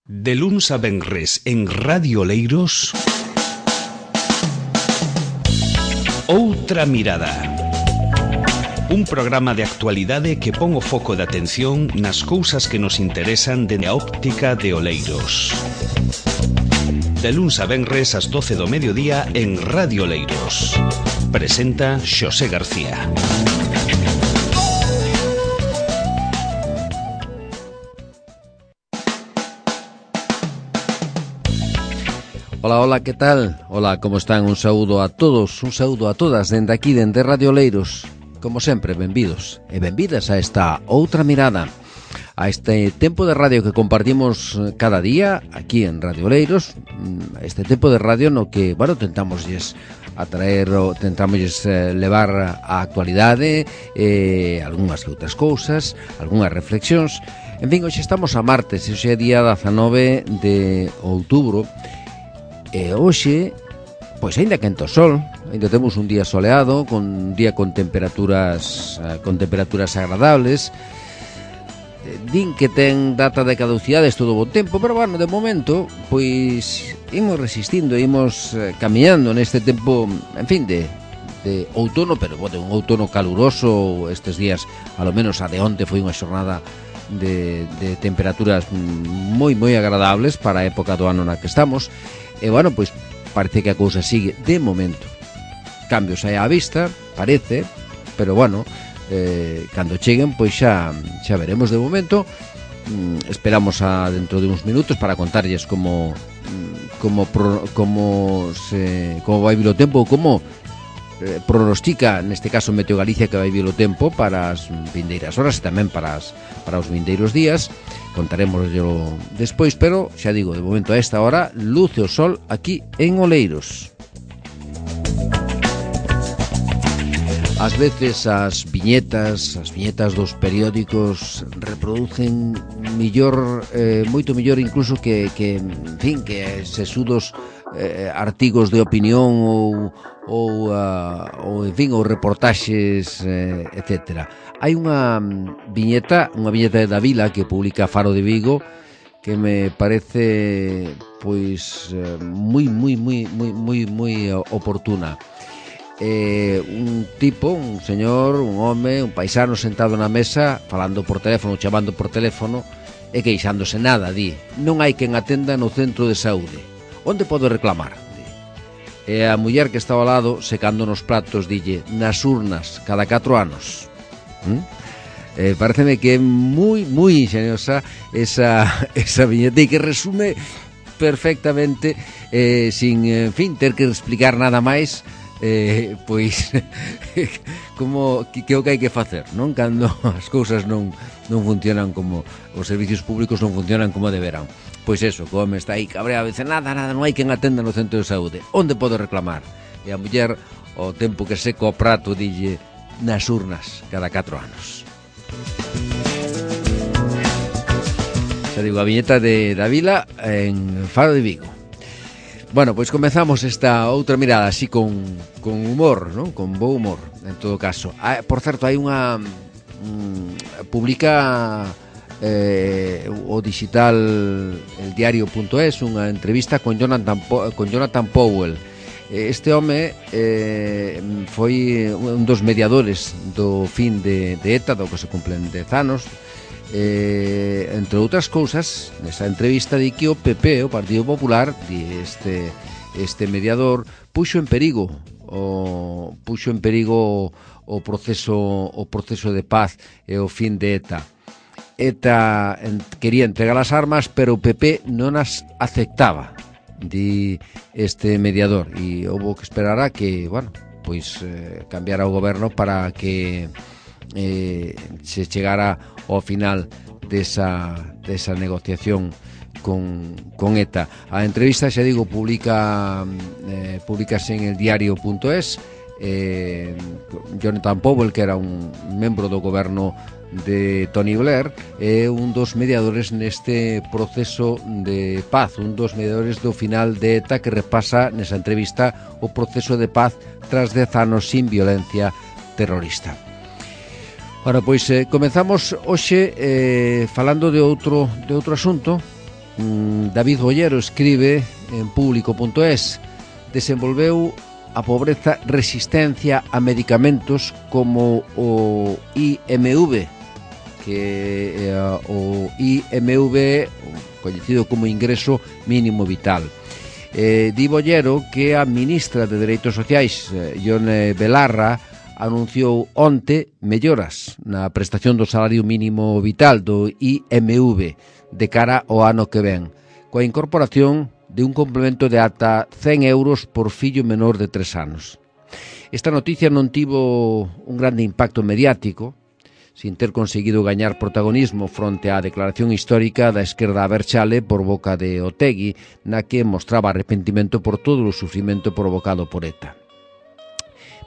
De luns a venres en Radio Oleiros, Outra Mirada. Un programa de actualidade que pon o foco de atención nas cousas que nos interesan dende a óptica de Oleiros. De luns a venres ás 12 do mediodía en Radio Oleiros. Presenta Xosé García. Ola, ola, que tal? Ola, como están? Un saúdo a todos, un saúdo a todas dende aquí, dende Radio Oleiros. Como sempre, benvidos e benvidas a esta Outra Mirada, a este tempo de radio que compartimos cada día aquí en Radio Oleiros, este tempo de radio no que, bueno, tentamosles atraer, tentamosles levar a actualidade, algunhas que outras cousas, algunhas reflexións. En fin, hoxe estamos a martes, hoxe é día 19 de outubro, e hoxe, pois aínda quente o sol, aínda temos un día soleado, un día con temperaturas agradables. Din que ten data de caducidade todo o bo tempo, pero bueno, de momento, pois imos resistindo, imos camiñando neste tempo, en fin, de outono, pero de un outono caluroso. Estes días, alo menos a de onte, foi unha xornada de temperaturas moi agradables para a época do ano na que estamos. E, bueno, pois parece que a cousa sigue de momento. Cambios aí á vista, parece, pero, bueno, cando cheguen, pois xa veremos. De momento, esperamos a dentro de uns minutos para contarlles como vai vir o tempo, como pronostica, neste caso, Meteo Galicia, que vai vir o tempo para as vindeiras horas e tamén para os vindeiros días. Contaremoslo despois, pero xa digo, de momento a esta hora luce o sol aquí en Oleiros. Ás veces as viñetas dos periódicos reproducen moito mellor incluso que en fin, que sesudos artigos de opinión ou en fin, ou reportaxes, etcétera. Hai unha viñeta de Davila que publica Faro de Vigo que me parece pois moi oportuna. Un tipo, un señor, un home, un paisano sentado na mesa falando por teléfono, chamando por teléfono e queixándose. Nada, di, non hai quen atenda no centro de saúde. Onde podo reclamar? E a muller que estaba ao lado, secando nos platos, dille, nas urnas, cada 4 anos. Pareceme que é moi ingeniosa esa viñeta e que resume perfectamente, sin, en fin, ter que explicar nada máis, pois como que o que hai que facer, non? Cando as cousas non funcionan, como os servicios públicos non funcionan como deberán. Pois eso, como está aí cabreado, dice, nada, non hai quen atenda no centro de saúde. Onde podo reclamar? E a muller, o tempo que seca o prato, dille, nas urnas, cada 4 anos. Xa digo, a viñeta de Davila en Faro de Vigo. Bueno, pois comezamos esta outra mirada así con humor, non? Con bo humor, en todo caso. Por certo, hai unha publica o digital eldiario.es unha entrevista con Jonathan Powell. Este home foi un dos mediadores do fin de ETA, do que se cumplen 10 anos. Entre outras cousas, nesa entrevista di que o PP, o Partido Popular, este mediador, puxo en perigo o proceso de paz e o fin de ETA. ETA quería entregar as armas, pero o PP non as aceptaba, di este mediador, e houve que esperar a que, bueno, pois cambiara o goberno para que se chegara ao final desa negociación con ETA. A entrevista, xa digo, publicase en eldiario.es. Jonathan Powell, que era un membro do goberno de Tony Blair, é un dos mediadores neste proceso de paz, un dos mediadores do final de ETA, que repasa nesa entrevista o proceso de paz tras 10 anos sin violencia terrorista. Bueno, pois comenzamos hoxe falando de outro asunto David Bollero escribe en público.es: desenvolveu a pobreza resistencia a medicamentos como o IMV, que o IMV, coñecido como ingreso mínimo vital. Di Bollero que a ministra de Dereitos Sociais, Ione Belarra, anunciou onte melloras na prestación do salario mínimo vital do IMV de cara ao ano que ven, coa incorporación de un complemento de ata 100 euros por fillo menor de 3 anos. Esta noticia non tivo un grande impacto mediático, sin ter conseguido gañar protagonismo fronte á declaración histórica da esquerda abertzale por boca de Otegi, na que mostraba arrepentimento por todo o sufrimento provocado por ETA.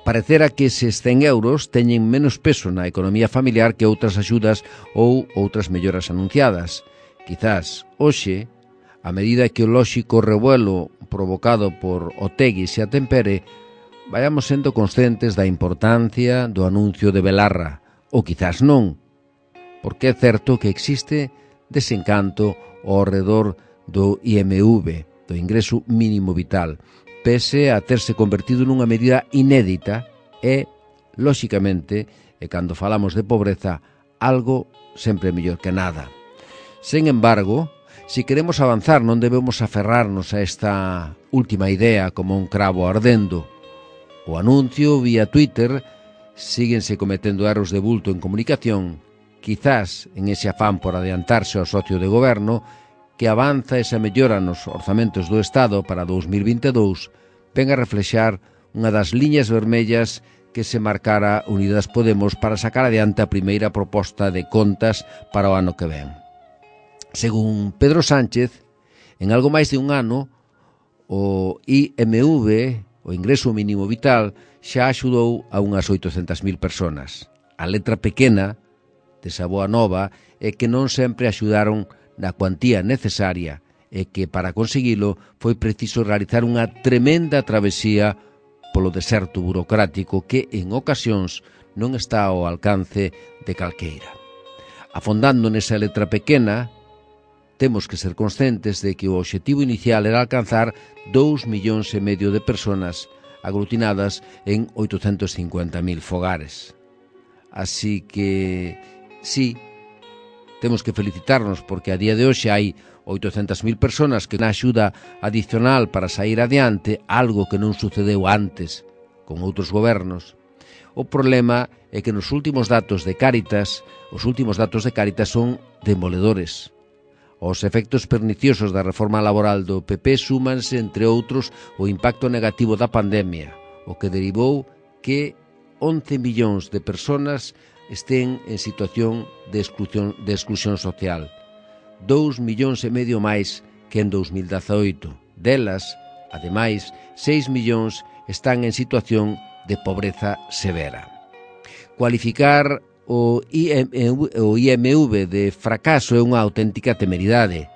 Parecera que eses 100 euros teñen menos peso na economía familiar que outras axudas ou outras melloras anunciadas. Quizás, hoxe, a medida que o lóxico revuelo provocado por Otegi se atempere, vayamos sendo conscientes da importancia do anuncio de Belarra, ou quizás non, porque é certo que existe desencanto ao redor do IMV, do ingreso mínimo vital, pese a terse convertido nunha medida inédita e, lóxicamente, e cando falamos de pobreza, algo sempre mellor que nada. Sen embargo, se queremos avanzar non debemos aferrarnos a esta última idea como un cravo ardendo. O anuncio vía Twitter, síguense cometendo erros de bulto en comunicación, quizás en ese afán por adiantarse ao socio de goberno, que avanza esa mellora nos orzamentos do Estado para 2022, ven a reflexar unha das liñas vermellas que se marcara Unidas Podemos para sacar adiante a primeira proposta de contas para o ano que ven. Según Pedro Sánchez, en algo máis de un ano, o IMV, o ingreso mínimo vital, xa axudou a unhas 800.000 personas. A letra pequena desa boa nova é que non sempre axudaron na cuantía necesaria e que para conseguilo foi preciso realizar unha tremenda travesía polo deserto burocrático que en ocasións non está ao alcance de calqueira. Afondando nesa letra pequena, temos que ser conscientes de que o obxectivo inicial era alcanzar 2,5 millóns de personas aglutinadas en 850.000 fogares. Así que, sí, temos que felicitarnos porque a día de hoxe hai 800.000 personas que na axuda adicional para sair adiante, algo que non sucedeu antes con outros gobernos. O problema é que nos últimos datos de Cáritas, son demoledores. Os efectos perniciosos da reforma laboral do PP súmanse, entre outros, o impacto negativo da pandemia, o que derivou que 11 millóns de personas estén en situación de exclusión social. 2,5 millóns máis que en 2018. Delas, ademais, 6 millóns están en situación de pobreza severa. Cualificar o IMV de fracaso é unha auténtica temeridade.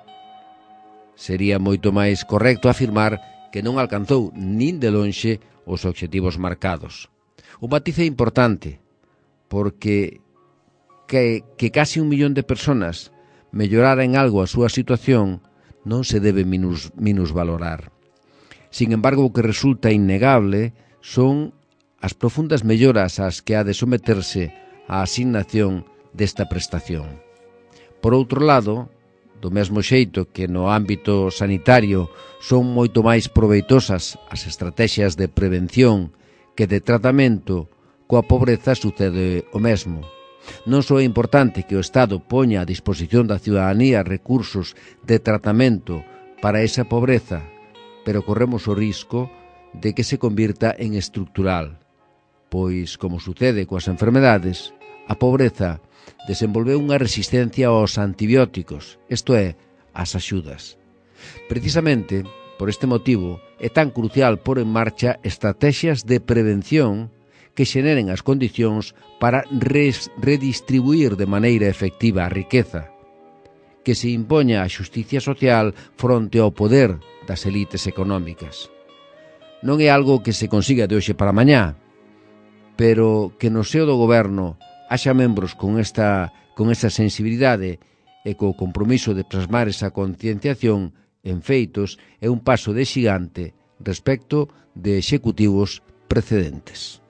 Sería moito máis correcto afirmar que non alcanzou nin de lonxe os obxectivos marcados. O matiz é importante, porque que casi 1 millón de personas mellorara en algo a súa situación non se debe minusvalorar. Sin embargo, o que resulta innegable son as profundas melloras ás que ha de someterse a asignación desta prestación. Por outro lado, do mesmo xeito que no ámbito sanitario son moito máis proveitosas as estrategias de prevención que de tratamento, coa pobreza sucede o mesmo. Non só é importante que o Estado poña a disposición da ciudadanía recursos de tratamento para esa pobreza, pero corremos o risco de que se convirta en estructural, pois, como sucede coas enfermedades, a pobreza desenvolveu unha resistencia aos antibióticos, isto é, ás axudas. Precisamente, por este motivo, é tan crucial pôr en marcha estrategias de prevención que xeneren as condicións para redistribuir de maneira efectiva a riqueza, que se impoña a xusticia social fronte ao poder das elites económicas. Non é algo que se consiga de hoxe para mañá, pero que no seo do goberno haxa membros con esa sensibilidade e co compromiso de plasmar esa concienciación en feitos é un paso de xigante respecto de executivos precedentes.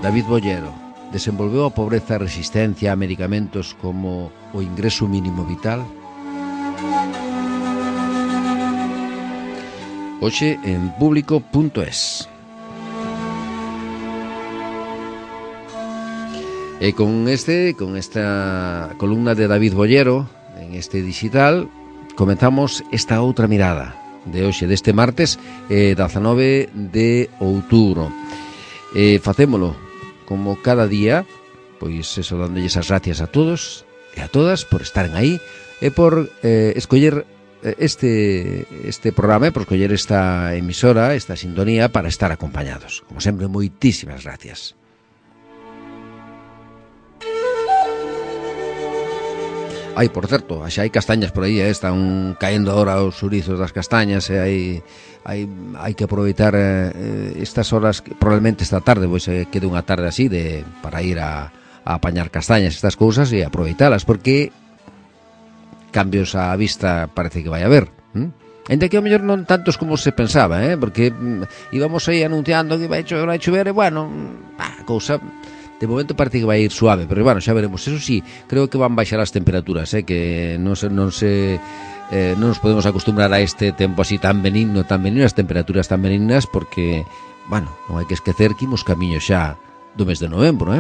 David Bollero desenvolveu a pobreza e resistencia a medicamentos como o ingreso mínimo vital. Hoxe en público.es. E con esta columna de David Bollero en este digital comenzamos esta outra mirada de hoxe, deste martes 19 de outubro. Facémolo como cada día, pois eso, dándolles as gracias a todos e a todas por estaren aí e por escoller este programa, por escoller esta emisora, esta sintonía para estar acompañados. Como sempre, moitísimas gracias. Ai, por certo, xa hai castañas por aí, están caendo agora os xurizos das castañas e hai que aproveitar estas horas, probablemente esta tarde, pois quede unha tarde así para ir a apañar castañas, estas cousas, e aproveitalas, porque cambios á vista parece que vai haber. Ainda que ao mellor non tantos como se pensaba, porque íbamos aí anunciando que vai chover e, bueno, a cousa... De momento parece que vai ir suave, pero bueno, xa veremos. Eso sí, creo que van baixar as temperaturas, que non nos podemos acostumbrar a este tempo así tan benigno, as temperaturas tan benignas, porque, bueno, non hai que esquecer que imos camiño xa do mes de novembro,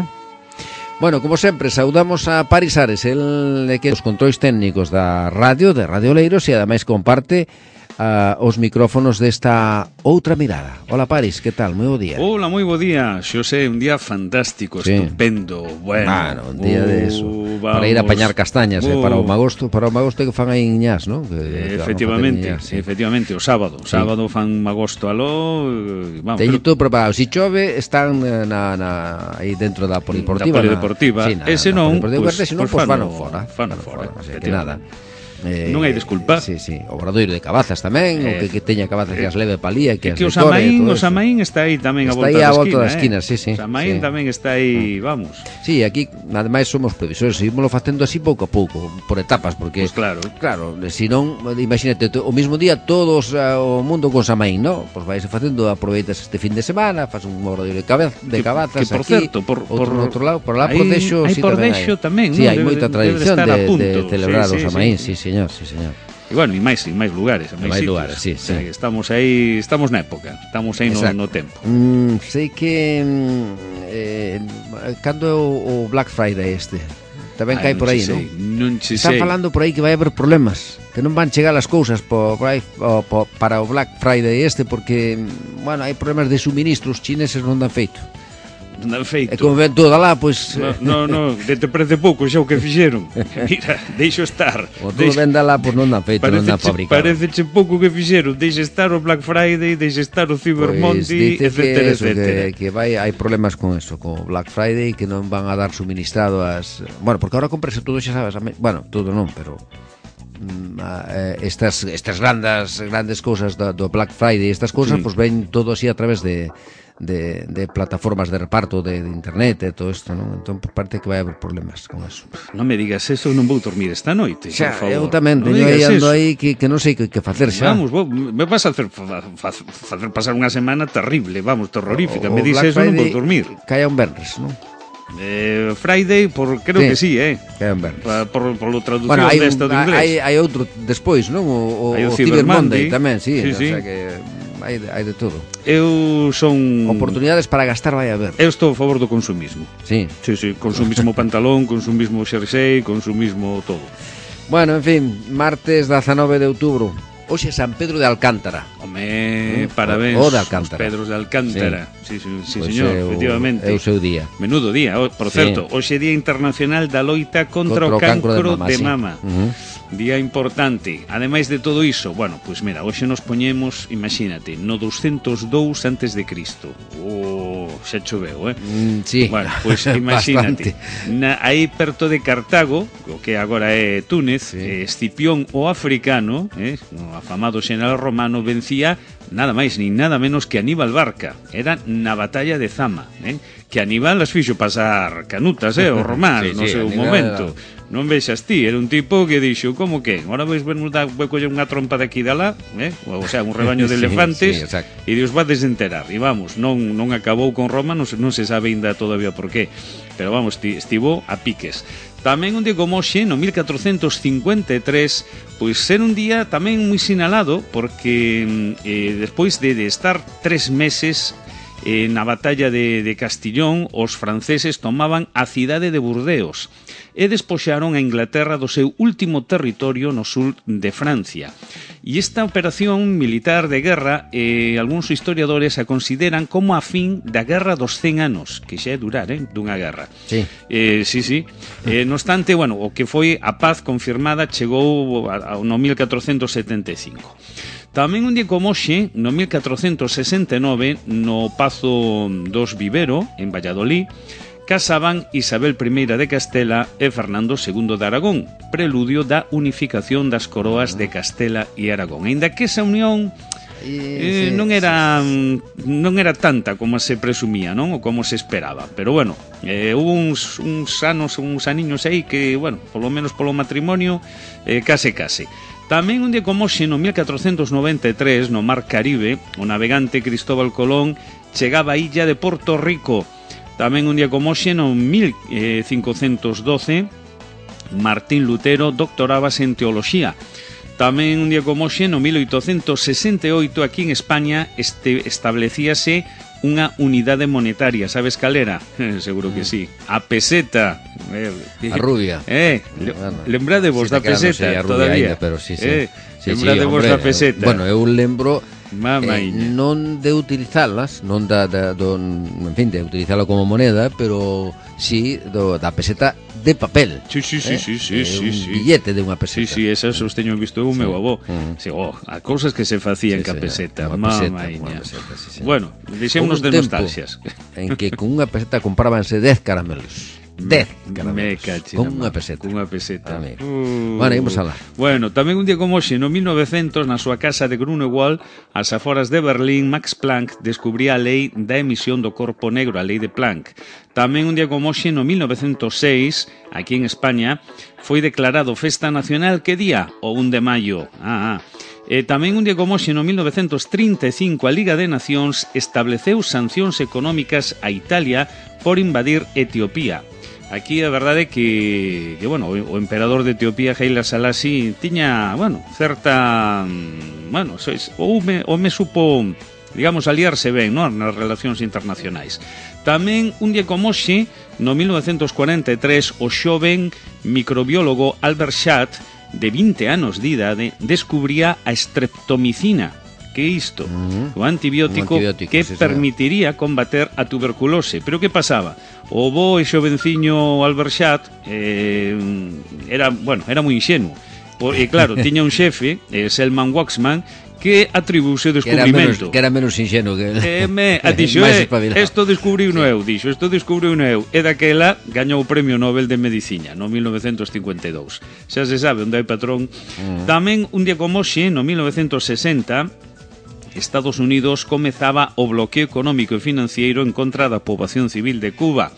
Bueno, como sempre, saudamos a Paris Ares, el que os controis técnicos da radio, de Radio Oleiros, e ademais comparte os micrófonos desta outra mirada. Hola, Paris, que tal? Moi bo día. Hola, moi bo día. Xosé, un día fantástico, sí. Estupendo. Bueno, un día de eso. Vamos. Para ir a apañar castañas, para o magosto que fan aí en Ñas, ¿no? Efectivamente, efectivamente, o sábado fan magosto aló, vamos. Teño todo preparado. Si chove, están aí dentro da polideportiva. Da polideportiva. Ese non, pues fano fora. Así que nada. Non hai desculpa. Sí, o Obradoiro de Cabazas tamén, o que teña Cabazas que as leve palía, que as decore. O Samaín está aí tamén a volta da esquina. Sí. O Samaín tamén está aí, vamos. Sí, aquí ademais somos previsores, seguimoslo facendo así pouco a pouco, por etapas, porque pues claro, se non, imagínate, o mismo día todos o mundo con Samaín, ¿no? Pois vais facendo, aproveitas este fin de semana, faz un Obradoiro de Cabazas que por aquí, certo, por outro lado, por lá por Dexo, sí, por Dexo tamén, sí, hai moita tradición de celebrar o Samaín, sí, señor. E bueno, e máis lugares, sí. Estamos aí, estamos na época, estamos aí no tempo. Sei que cando é o Black Friday tamén cae por aí, non? Están falando por aí que vai haber problemas, que non van chegar as cousas para o Black Friday porque, bueno, hai problemas de suministros, chineses non dan feito. E como ven toda lá, pois... No, te parece pouco xa o que fixeron. Mira, deixo estar. O todo venda lá, pois non dan feito, non dan fabricado. Parece pouco que fixeron. Deixe estar o Black Friday, deixe estar o Cyber Monday, etcétera. Que hai problemas con eso, con o Black Friday, que non van a dar suministrado as... Bueno, porque ahora comprese todo, xa sabes, bueno, todo non, pero... estas grandes cousas do Black Friday, estas cousas, pois ven todo así a través de plataformas de reparto de internet e todo isto, non? Entón parece que vai haber problemas con eso. Non me digas eso, non vou dormir esta noite, xa, por favor. Eu tamén teño aí ando aí que non sei que facer xa. Vamos, me vas a hacer pasar unha semana terrible, vamos, terrorífica. Me dices eso, non vou dormir. Caia un venres, non? Friday, creo que sí, caia un venres. Por lo traducción desta do inglés. Hai outro despois, non? O Cyber Monday tamén, sí. O sea que... Hai de todo. Eu son... Oportunidades para gastar vai haber. Eu estou a favor do consumismo. Sí. Consumismo pantalón, consumismo xersei, consumismo todo. Bueno, en fin, martes 19 de outubro. Hoxe San Pedro de Alcántara. Home, parabéns. O de Alcántara. Pedros de Alcántara. Sí, pues señor, efectivamente. É o seu día. Menudo día. Por certo, hoxe é Día Internacional da Loita contra o cancro de mama. Día importante. Ademais de todo iso, bueno, pois mira, hoxe nos poñemos, imagínate, no 202 antes de Cristo. Xa choveu, Sí. Bueno, pois imagínate. Aí perto de Cartago, o que agora é Túnez, Escipión o africano, o afamado xeneral romano, vencía nada máis nin nada menos que Aníbal Barca. Era na batalla de Zama, que Aníbal as fixo pasar canutas, os románs, no seu momento. Non vexas ti, era un tipo que dixo, como que? Agora vais coller unha trompa de aquí de alá, o sea, un rebaño de elefantes, e Dios va desenterar. E vamos, non acabou con Roma, non se sabe ainda todavía por qué. Pero vamos, estivo a piques. Tamén un día como hoxe, no 1453, pois ser un día tamén moi sinalado, porque despois de estar 3 meses na batalla de Castillón, os franceses tomaban a cidade de Burdeos e despoxaron a Inglaterra do seu último territorio no sur de Francia. E esta operación militar de guerra, algúns historiadores a consideran como a fin da Guerra dos 100 anos, que xa é durar, dunha guerra. Sí. Sí. No obstante, bueno, o que foi a paz confirmada chegou no 1475. Tamén un día como hoxe, no 1469, no Pazo dos Vivero, en Valladolid, casaban Isabel I de Castela e Fernando II de Aragón, preludio da unificación das coroas de Castela e Aragón. Aínda que esa unión non era tanta como se presumía, non? Ou como se esperaba. Pero bueno, hubo uns aniños aí que, bueno, polo menos polo matrimonio, case. Tamén un día como hoxe, no 1493, no Mar Caribe, o navegante Cristóbal Colón chegaba a illa de Porto Rico. Tamén un día como hoxe, no 1512, Martín Lutero doctorábase en teoloxía. Tamén un día como hoxe, no 1868, aquí en España, establecíase unha unidade monetaria. Sabes cal era? Seguro que sí. A peseta. A rubia. Lembrade vos da peseta todavía. Pero sí. Lembrade vos da peseta. Bueno, eu lembro non de utilizalas, non en fin, de utilizala como moneda, pero sí da peseta de papel. Sí. Un billete de unha peseta. Sí, esas os teño visto o meu avó. A cousas que se facían ca peseta. Mamaña. Bueno, deixémonos de nostalgias. En que con unha peseta comprábanse 10 caramelos. 10 caramelos. Con unha peseta. Bueno, imos alá. Bueno, tamén un día como hoxe, no 1900, na súa casa de Grunewald, ás aforas de Berlín, Max Planck descubría a lei da emisión do corpo negro, a lei de Planck. Tamén un día como hoxe, no 1906, aquí en España, foi declarado festa nacional, que día? O 1 de maio. Tamén un día como hoxe, no 1935, a Liga de Nacións estableceu sancións económicas a Italia por invadir Etiopía. Aquí a verdade é que bueno, o emperador de Etiopía, Haile Selassie, tiña, bueno, certa, bueno, ou me supo, digamos, aliarse ben, non, nas relacións internacionais. Tamén un día como hoxe, no 1943, o xoven microbiólogo Albert Schadt, de 20 anos de idade, descubría a streptomicina, que é isto, o antibiótico que permitiría combater a tuberculose. Pero que pasaba? O bo e xovenciño Albert Schadt era moi inxenuo. E claro, tiña un xefe, Selman Waksman, que atribuíse o descubrimento. Que era menos inxenuo que dixo, isto descubriu eu, e daquela gañou o Premio Nobel de Medicina no 1952. Xa se sabe onde hai patrón. Tamén un día como hoxe, no 1960, Estados Unidos comezaba o bloqueo económico e financiero en contra da poboación civil de Cuba.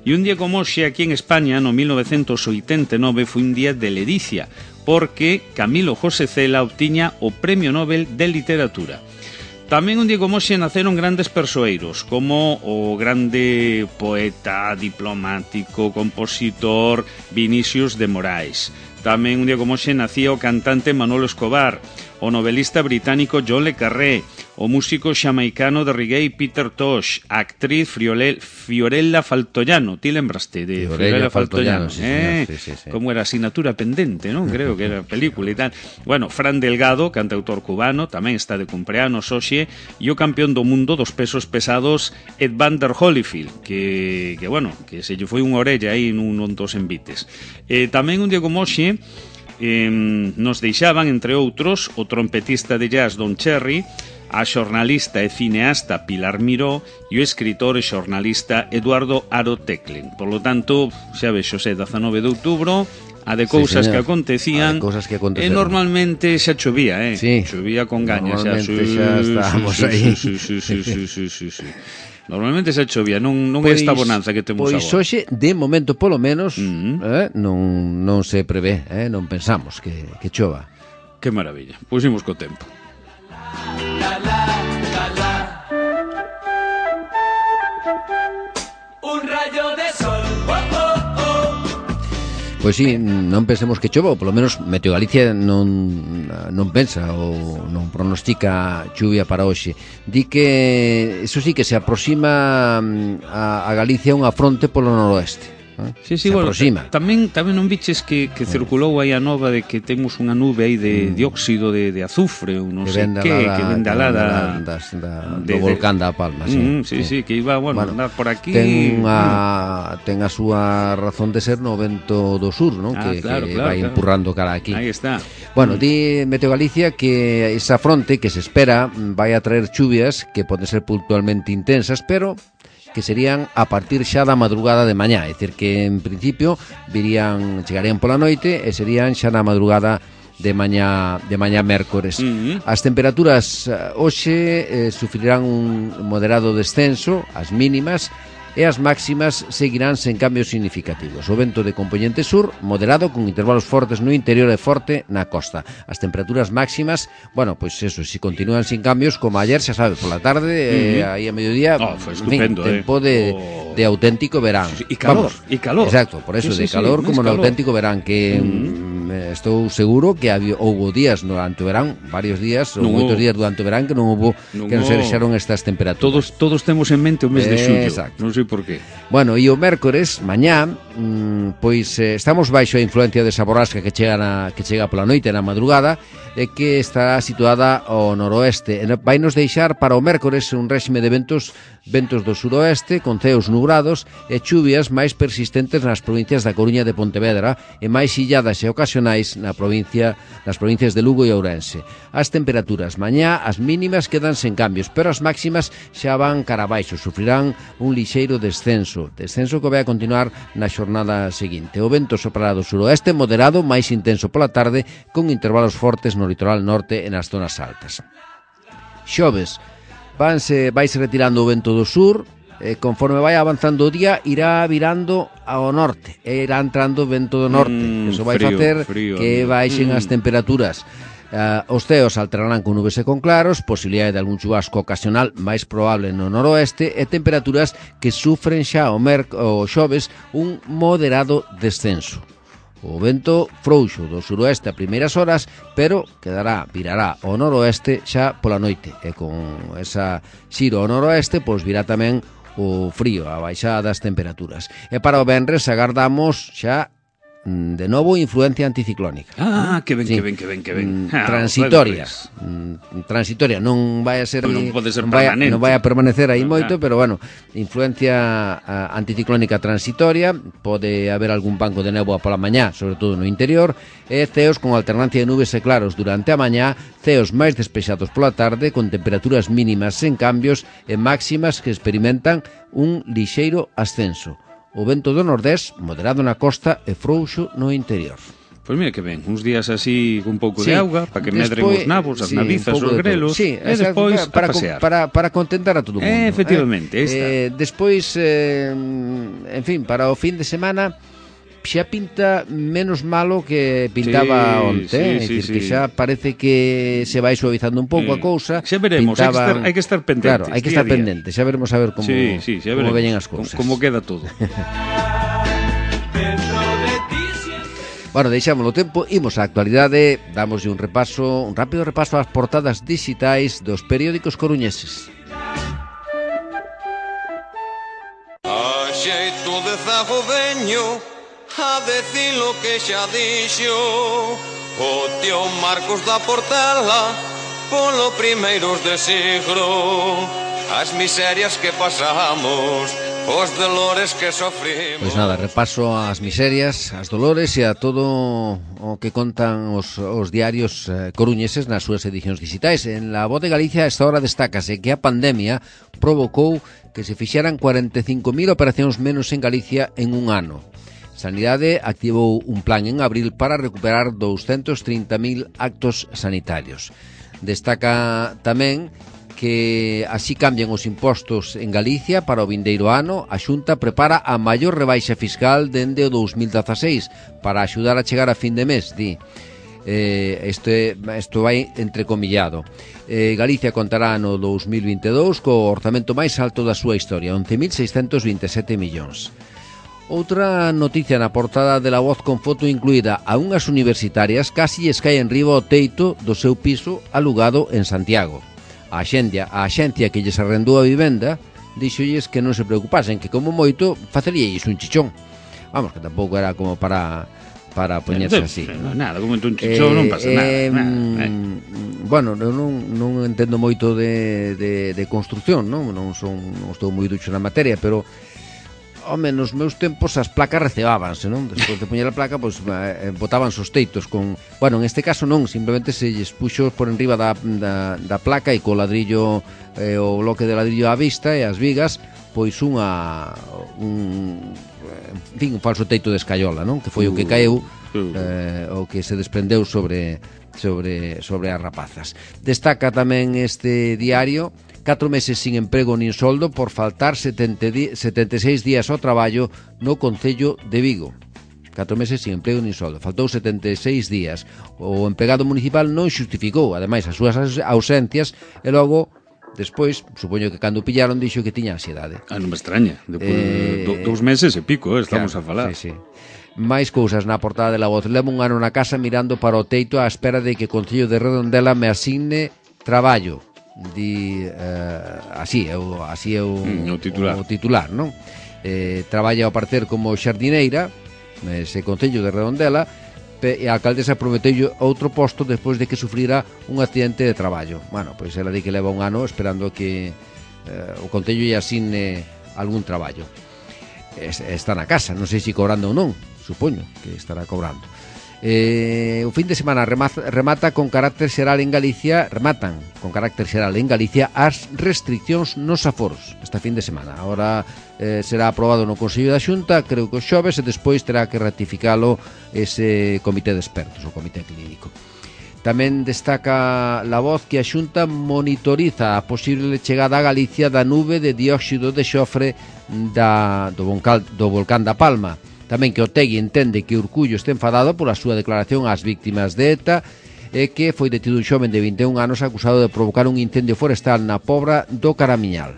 E un día como hoxe, aquí en España, no 1989, foi un día de ledicia, porque Camilo José Cela obtiña o Premio Nobel de Literatura. Tamén un día como hoxe naceron grandes persoeiros, como o grande poeta, diplomático, compositor Vinicius de Moraes. Tamén un día como hoxe nacía o cantante Manolo Escobar, o novelista británico John le Carré, o músico xamaicano de reggae Peter Tosh, a actriz Fiorella Faltoiano. Ti lembraste de Fiorella Faltoiano? Sí. Como era asignatura pendente, non? Creo que era película e tal. Bueno, Fran Delgado, cantautor cubano, tamén está de cumpleanos hoxe, e o campeón do mundo dos pesos pesados Evander Holyfield, que se lle foi unha orella aí nun dos envites. Tamén un día como hoxe, nos deixaban, entre outros, o trompetista de jazz Don Cherry, a xornalista e cineasta Pilar Miró e o escritor e xornalista Eduardo Aro Teclen. Por lo tanto, xa ves, Xosé, 19 de outubro, a de cousas que acontecían, e normalmente xa chovía, chovía con gaña, xa estábamos aí. Sí. Normalmente xa chovía, non é esta bonanza que temos agora. Pois hoxe, de momento polo menos, non se prevé, non pensamos que chova. Que maravilla, pois imos co tempo. Un rayo de sol. Pois sí, non pensemos que chova, ou polo menos Meteo Galicia non pensa ou non pronostica chuvia para hoxe. Di que, eso sí, que se aproxima a Galicia unha fronte polo noroeste. Sí, bueno, tamén non viches que circulou aí a nova de que temos unha nube aí de dióxido de azufre ou non sei que vende alada do volcán da Palma, sí, que iba, bueno, andar por aquí. Ten a súa razón de ser no vento do sur, non? Que vai empurrando cara aquí. Aí está. Bueno, di Meteo Galicia que esa fronte que se espera vai a traer chuvias que poden ser puntualmente intensas, pero que serían a partir xa da madrugada de mañá, é dicir que en principio chegarían pola noite e serían xa na madrugada de mañá mércores. As temperaturas hoxe sufrirán un moderado descenso, as mínimas, e as máximas seguirán sen cambios significativos. O vento de compoñente sur, moderado, con intervalos fortes no interior e forte na costa. As temperaturas máximas, bueno, pois eso, se continúan sin cambios, como ayer, xa sabes, pola tarde, aí a mediodía, estupendo, tempo de auténtico verán. E calor. Exacto, por eso, de calor como no auténtico verán, que estou seguro que houbo días durante o verán, varios días, ou moitos días durante o verán, que non se deixaron estas temperaturas. Todos temos en mente o mes de xullo. Exacto. Non sei por qué. Bueno, e o mércores, mañá, pois estamos baixo a influencia desa borrasca que chega pola noite na madrugada, e que está situada ao noroeste. Vai nos deixar para o mércores un réxime de ventos do suroeste, con ceos nubrados e chuvias máis persistentes nas provincias da Coruña e de Pontevedra e máis illadas e ocasionais nas provincias de Lugo e Ourense. As temperaturas mañá, as mínimas quedan sen cambios, pero as máximas xa van cara abaixo, sufrirán un lixeiro descenso que vai a continuar na xornada seguinte. O vento soprará do suroeste, moderado, máis intenso pola tarde, con intervalos fortes no litoral norte e nas zonas altas. Xoves, vaise retirando o vento do sur, conforme vai avanzando o día irá virando ao norte e irá entrando o vento do norte. Eso vai facer que baixen as temperaturas. Os ceos alterarán con nubes e con claros, posibilidade de algún chubasco ocasional máis probable no noroeste e temperaturas que sufren xa o xoves un moderado descenso. O vento frouxo do suroeste a primeiras horas, pero virará ao noroeste xa pola noite. E con esa xiro ao noroeste, pois virá tamén o frío, a baixada das temperaturas. E para o venres agardamos xa de novo influencia anticiclónica. Que ben. Transitoria. Transitoria, non vai a ser non pode ser permanente. Non vai a permanecer aí moito, pero bueno, influencia anticiclónica transitoria, pode haber algún banco de néboa pola mañá, sobre todo no interior, e ceos con alternancia de nubes e claros durante a mañá, ceos máis despexados pola tarde, con temperaturas mínimas sen cambios e máximas que experimentan un lixeiro ascenso. O vento do nordés, moderado na costa e frouxo no interior. Pois mira que ben, uns días así con un pouco de auga, para que medren os nabos, as navizas, os grelos, e despois a pasear. Para contentar a todo o mundo. Efectivamente, despois, en fin, para o fin de semana xa pinta menos malo que pintaba onte, que xa parece que se vai suavizando un pouco a cousa. Xa veremos, hai que estar pendentes. Claro, hai que estar pendentes, xa veremos a ver como veñen as cousas. Como queda todo. Bueno, deixámoslo tempo, imos á actualidade, damoslle un rápido repaso ás portadas digitais dos periódicos coruñeses. A xeito de zago veño a decir lo que xa dixo o tío Marcos da Portela polo primeiros de siglo, as miserias que pasamos, os dolores que sofrimos. Pois nada, repaso as miserias, as dolores e a todo o que contan os diarios coruñeses nas súas edicións digitais. En La Voz de Galicia a esta hora destácase que a pandemia provocou que se fixeran 45.000 operacións menos en Galicia en un ano. Sanidade activou un plan en abril para recuperar 230.000 actos sanitarios. Destaca tamén que así cambian os impostos en Galicia para o vindeiro ano. A Xunta prepara a maior rebaixa fiscal dende o 2016 para axudar a chegar a fin de mes, di. Isto vai entrecomillado. Galicia contará no 2022 co orzamento máis alto da súa historia, 11.627 millóns. Outra noticia na portada de La Voz con foto incluída: a unhas universitarias casi lles cae enriba o teito do seu piso alugado en Santiago. A axencia que lles arrendou a vivenda dixolles que non se preocupasen, que como moito faceríais un chichón. Vamos, que tampouco era como para poñerse así. Nada, como un chichón non pasa nada. Bueno, non entendo moito de construcción, non estou moi ducho na materia, pero home, nos meus tempos as placas recebábanse, non? Despois de poñer a placa, pois botaban os teitos con... Bueno, en este caso non, simplemente se lles puxo por enriba da placa e co ladrillo, o bloque de ladrillo á vista e as vigas, pois un falso teito de escaiola, non? Que foi o que caeu, o que se desprendeu sobre as rapazas. Destaca tamén este diario: 4 meses sin emprego nin soldo por faltar 76 días ao traballo no Concello de Vigo. 4 meses sin emprego nin soldo. Faltou 76 días. O empregado municipal non xustificou, ademais, as súas ausencias e logo, despois, supoño que cando pillaron, dixo que tiña ansiedade. Non me extraña. Depois 2 meses e pico, estamos a falar. Sí. Máis cousas na portada de La Voz. Levo un ano na casa mirando para o teito á espera de que o Concello de Redondela me asigne traballo. Así é o titular, non? Traballa ao parecer como xardineira ese Concello de Redondela, e a alcaldesa prometeu outro posto despois de que sufrira un accidente de traballo. Bueno, pois ela di que leva un ano esperando que o Concello lle asigne algún traballo. Está na casa, non sei se cobrando ou non, supoño que estará cobrando. O fin de semana rematan con carácter xeral en Galicia as restriccións nos aforos esta fin de semana. Ahora será aprobado no Consello da Xunta, creo que o xoves, e despois terá que ratificalo ese comité de expertos, o comité clínico. Tamén destaca La Voz que a Xunta monitoriza a posible chegada a Galicia da nube de dióxido de xofre do volcán da Palma. Tamén que Otegui entende que Urcullo está enfadado pola súa declaración ás víctimas de ETA e que foi detido un xoven de 21 anos acusado de provocar un incendio forestal na Pobra do Caramiñal.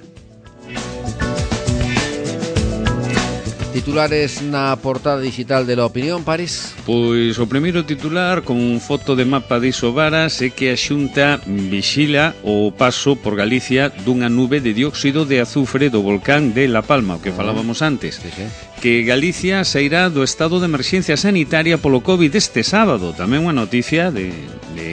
Titulares na portada digital de La Opinión, París. Pois o primeiro titular con foto de mapa de Isobaras é que a Xunta vixila o paso por Galicia dunha nube de dióxido de azufre do volcán de La Palma, o que falábamos antes. Sí. Que Galicia sairá do estado de emerxencia sanitaria polo COVID este sábado. Tamén unha noticia de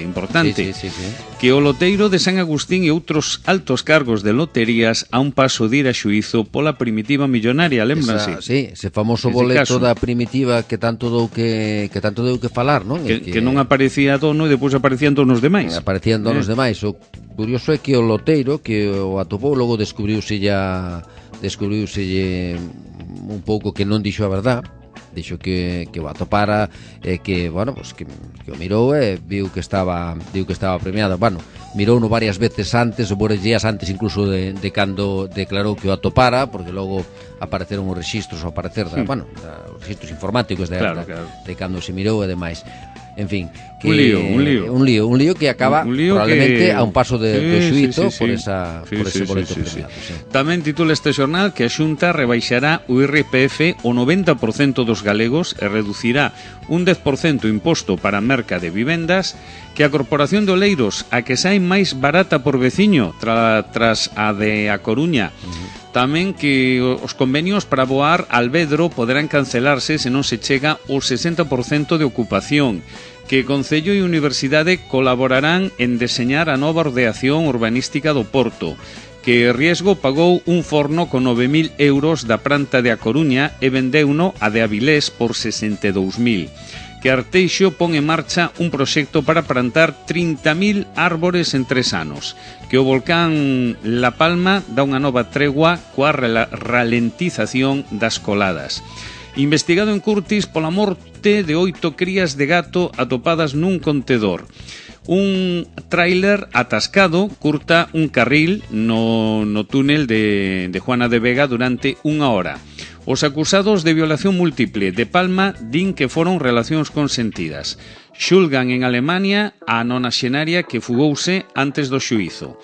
importante. Sí. Que o loteiro de San Agustín e outros altos cargos de loterías a un paso de ir a xuízo pola primitiva millonaria, lembranse? Sí, ese famoso boleto da primitiva que tanto deu que falar, non? Que non aparecía dono e depois aparecían donos demais. Aparecían donos demais. O curioso é que o loteiro que o atopou logo descubriuselle un pouco que non dixo a verdad. Dixo que o atopara e que, bueno, pues que o mirou e viu que estaba premiado. Bueno, mirouno varias veces antes, ou varios días antes incluso de cando declarou que o atopara, porque logo apareceron os registros os registros informáticos de cando se mirou e demais. En fin, que un lío que acaba probablemente a un paso de xuízo por ese boleto premiado. Tamén titula este xornal que a Xunta rebaixará o IRPF o 90% dos galegos e reducirá un 10% imposto para a merca de vivendas, que a Corporación de Oleiros a que sai máis barata por veciño tras a de A Coruña. Tamén que os convenios para voar Alvedro poderán cancelarse se non se chega ao 60% de ocupación, que Concello e Universidade colaborarán en deseñar a nova ordeación urbanística do Porto, que Riesgo pagou un forno con 9.000 euros da planta de A Coruña e vendeuno a de Avilés por 62.000. Que Arteixo pon en marcha un proxecto para plantar 30.000 árbores en 3 anos, que o volcán La Palma dá unha nova tregua coa ralentización das coladas. Investigado en Curtis pola morte de 8 crías de gato atopadas nun contedor. Un tráiler atascado curta un carril no túnel de Juana de Vega durante 1 hora. Os acusados de violación múltiple de Palma din que foron relacións consentidas. Xulgan en Alemania a nonaxenaria que fugouse antes do xuízo.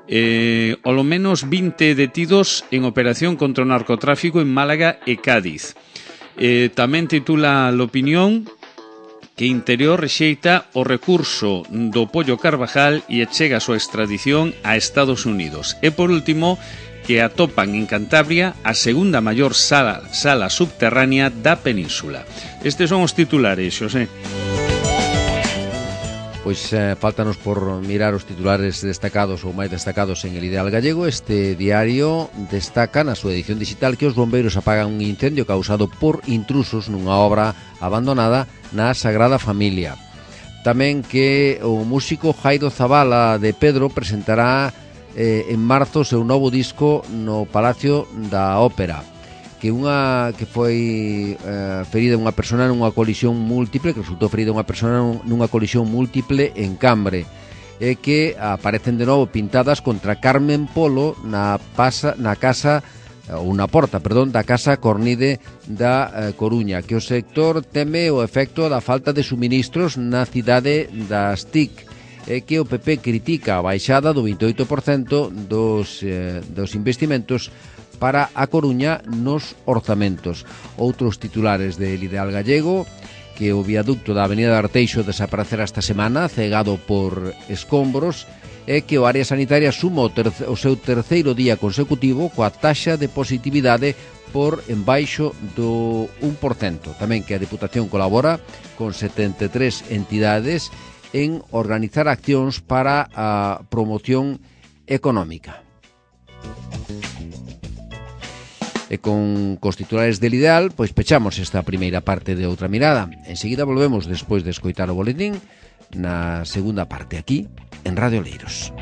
Ao menos 20 detidos en operación contra o narcotráfico en Málaga e Cádiz. Tamén titula l'opinión que Interior rexeita o recurso do Pollo Carvajal e chega a súa extradición a Estados Unidos. E por último, que atopan en Cantabria a segunda maior sala subterránea da península. Estes son os titulares, Xosé. Pois faltanos por mirar os titulares destacados ou máis destacados en El Ideal Gallego. Este diario destaca na súa edición digital que os bombeiros apagan un incendio causado por intrusos nunha obra abandonada na Sagrada Familia. Tamén que o músico Jairo Zabala de Pedro presentará en marzo o seu novo disco no Palacio da Ópera, que foi ferida unha persona nunha colisión múltiple, que resultou ferida unha persona nunha colisión múltiple en Cambre, e que aparecen de novo pintadas contra Carmen Polo na porta da Casa Cornide da Coruña, que o sector teme o efecto da falta de suministros na cidade das TIC, e que o PP critica a baixada do 28% dos investimentos para a Coruña nos orzamentos. Outros titulares del Ideal Gallego, que o viaducto da Avenida de Arteixo desaparecerá esta semana, cegado por escombros, e que o área sanitaria suma o seu terceiro día consecutivo coa taxa de positividade por embaixo do 1%. Tamén que a Deputación colabora con 73 entidades en organizar accións para a promoción económica. E con os titulares del Ideal, pois pechamos esta primeira parte de Outra Mirada. Enseguida volvemos despois de escoitar o boletín na segunda parte aquí en Radio Oleiros.